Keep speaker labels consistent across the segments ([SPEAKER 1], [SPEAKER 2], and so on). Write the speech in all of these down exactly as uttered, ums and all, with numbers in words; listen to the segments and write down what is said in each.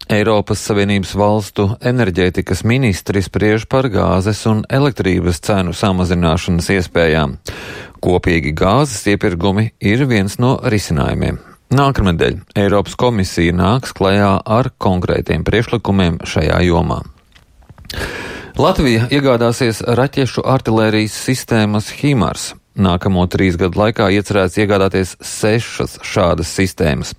[SPEAKER 1] Eiropas Savienības valstu enerģētikas ministri spriež par gāzes un elektrības cenu samazināšanas iespējām. Kopīgi gāzes iepirkumi ir viens no risinājumiem. Nākamnedēļ Eiropas komisija nāks klajā ar konkrētiem priekšlikumiem šajā jomā. Latvija iegādāsies raķešu artilērijas sistēmas HIMARS. Nākamo trīs gadu laikā iecerēts iegādāties sešas šādas sistēmas.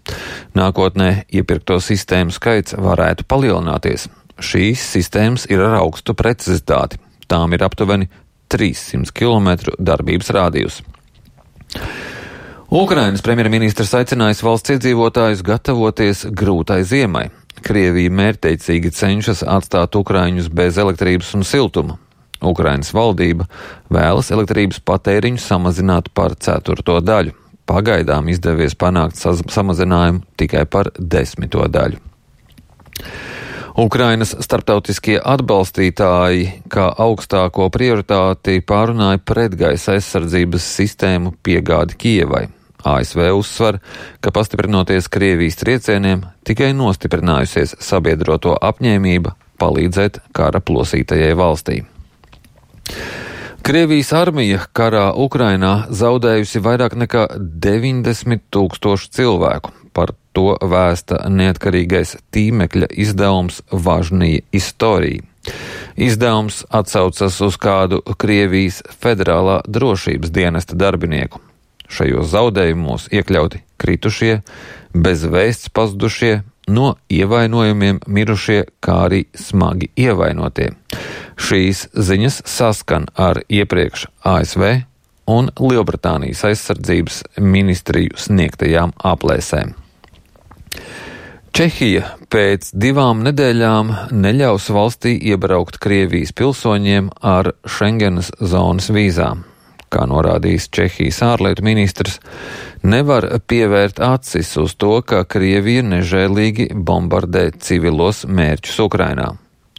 [SPEAKER 1] Nākotnē iepirkto sistēmu skaits varētu palielināties. Šīs sistēmas ir ar augstu precizitāti. Tām ir aptuveni trīssimti kilometru darbības rādijus. Ukrainas premjerministrs aicinājis valsts iedzīvotājus gatavoties grūtai ziemai. Krievija mērķtiecīgi cenšas atstāt ukraiņus bez elektrības un siltuma. Ukrainas valdība vēlas elektrības patēriņu samazināt par ceturto daļu. Pagaidām izdevies panākt samazinājumu tikai par desmito daļu. Ukrainas starptautiskie atbalstītāji kā augstāko prioritāti pārunāja pretgaisa aizsardzības sistēmu piegādi Kijevai. A S V uzsver, ka pastiprinoties Krievijas triecieniem, tikai nostiprinājusies sabiedroto apņēmība palīdzēt kara plosītajai valstī. Krievijas armija karā Ukrainā zaudējusi vairāk nekā deviņdesmit tūkstošu cilvēku. Par to vēsta neatkarīgais tīmekļa izdevums Važnija Istorija. Izdevums atsaucas uz kādu Krievijas federālā drošības dienesta darbinieku. Šajos zaudējumos iekļauti kritušie, bez vēsts pazudušie, no ievainojumiem mirušie, kā arī smagi ievainotie. Šīs ziņas saskan ar iepriekš A S V un Lielbritānijas aizsardzības ministriju sniegtajām aplēsēm. Čehija pēc divām nedēļām neļaus valstī iebraukt Krievijas pilsoņiem ar Schengenas zonas vīzām. Kā norādījis Čehijas ārlietu ministrs, nevar pievērt acis uz to, ka Krievija nežēlīgi bombardē civilos mērķus Ukrainā.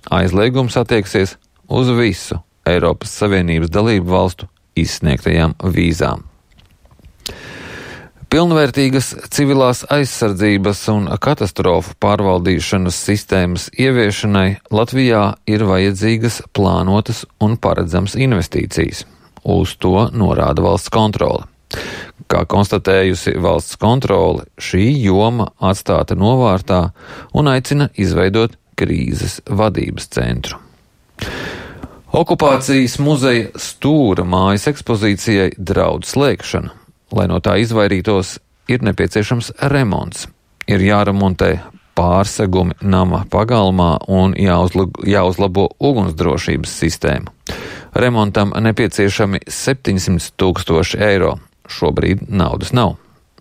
[SPEAKER 1] Aizliegums attieksies uz visu Eiropas Savienības dalību valstu izsniegtajām vīzām. Pilnvērtīgas civilās aizsardzības un katastrofu pārvaldīšanas sistēmas ieviešanai Latvijā ir vajadzīgas plānotas un paredzamas investīcijas. Uz to norāda valsts kontrole. Kā konstatējusi valsts kontrole, šī joma atstāta novārtā un aicina izveidot krīzes vadības centru. Okupācijas muzeja Stūra mājas ekspozīcijai draud slēgšana. Lai no tā izvairītos, ir nepieciešams remonts. Ir jāremontē pārsegumi nama pagalmā un jāuzlabo ugunsdrošības sistēma. Remontam nepieciešami septiņsimt tūkstoši eiro. Šobrīd naudas nav.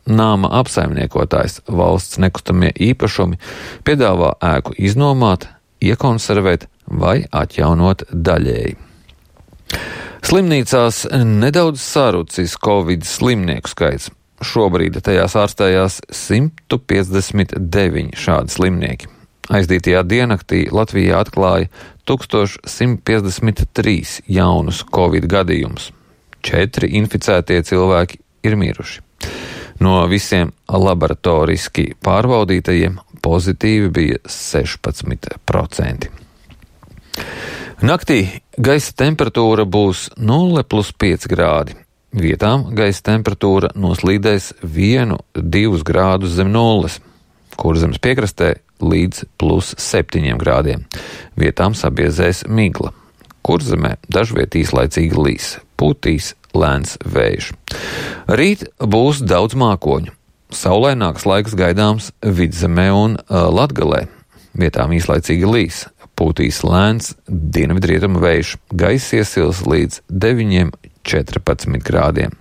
[SPEAKER 1] Nama apsaimniekotājs Valsts nekustamie īpašumi piedāvā ēku iznomāt, iekonservēt vai atjaunot daļēji. Slimnīcās nedaudz sarucis Covid slimnieku skaits. Šobrīd tajās ārstējās simt piecdesmit deviņi šādi slimnieki. Aizdītajā diennaktī Latvijā atklāja tūkstoš simt piecdesmit trīs jaunus Covid gadījumus. Četri inficētie cilvēki ir miruši. No visiem laboratoriski pārbaudītajiem pozitīvi bija sešpadsmit procenti. Naktī gaisa temperatūra būs nulle plus pieci grādi. Vietām gaisa temperatūra noslīdēs vienu, divus grādus zem nulles, kur zemes piekrastē līdz plus septiņiem grādiem. Vietām sabiezēs migla, kur zemē dažviet īslaicīgi līs, pūtīs lēns vējš. Rīt būs daudz mākoņu. Saulaināks laiks gaidāms Vidzemē un Latgalē. Vietām īslaicīgi līs, pūtīs lēns dienvidrietumu vējš, gaiss iesils līdz deviņiem četrpadsmit grādiem.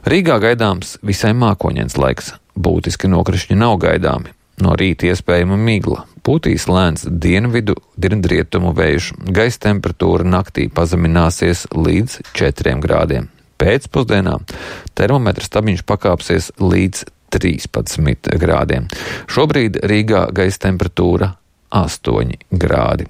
[SPEAKER 1] Rīgā gaidāms visai mākoņains laiks, būtiski nokrišņi nav gaidāmi. No rīta iespējama migla, pūtīs lēns dienvidu dienvidrietumu vējš, gaisa temperatūra naktī pazemināsies līdz četriem grādiem. Pēcpusdienā termometra stabiņš pakāpsies līdz trīspadsmit grādiem. Šobrīd Rīgā gaisa temperatūra astoņi grādi.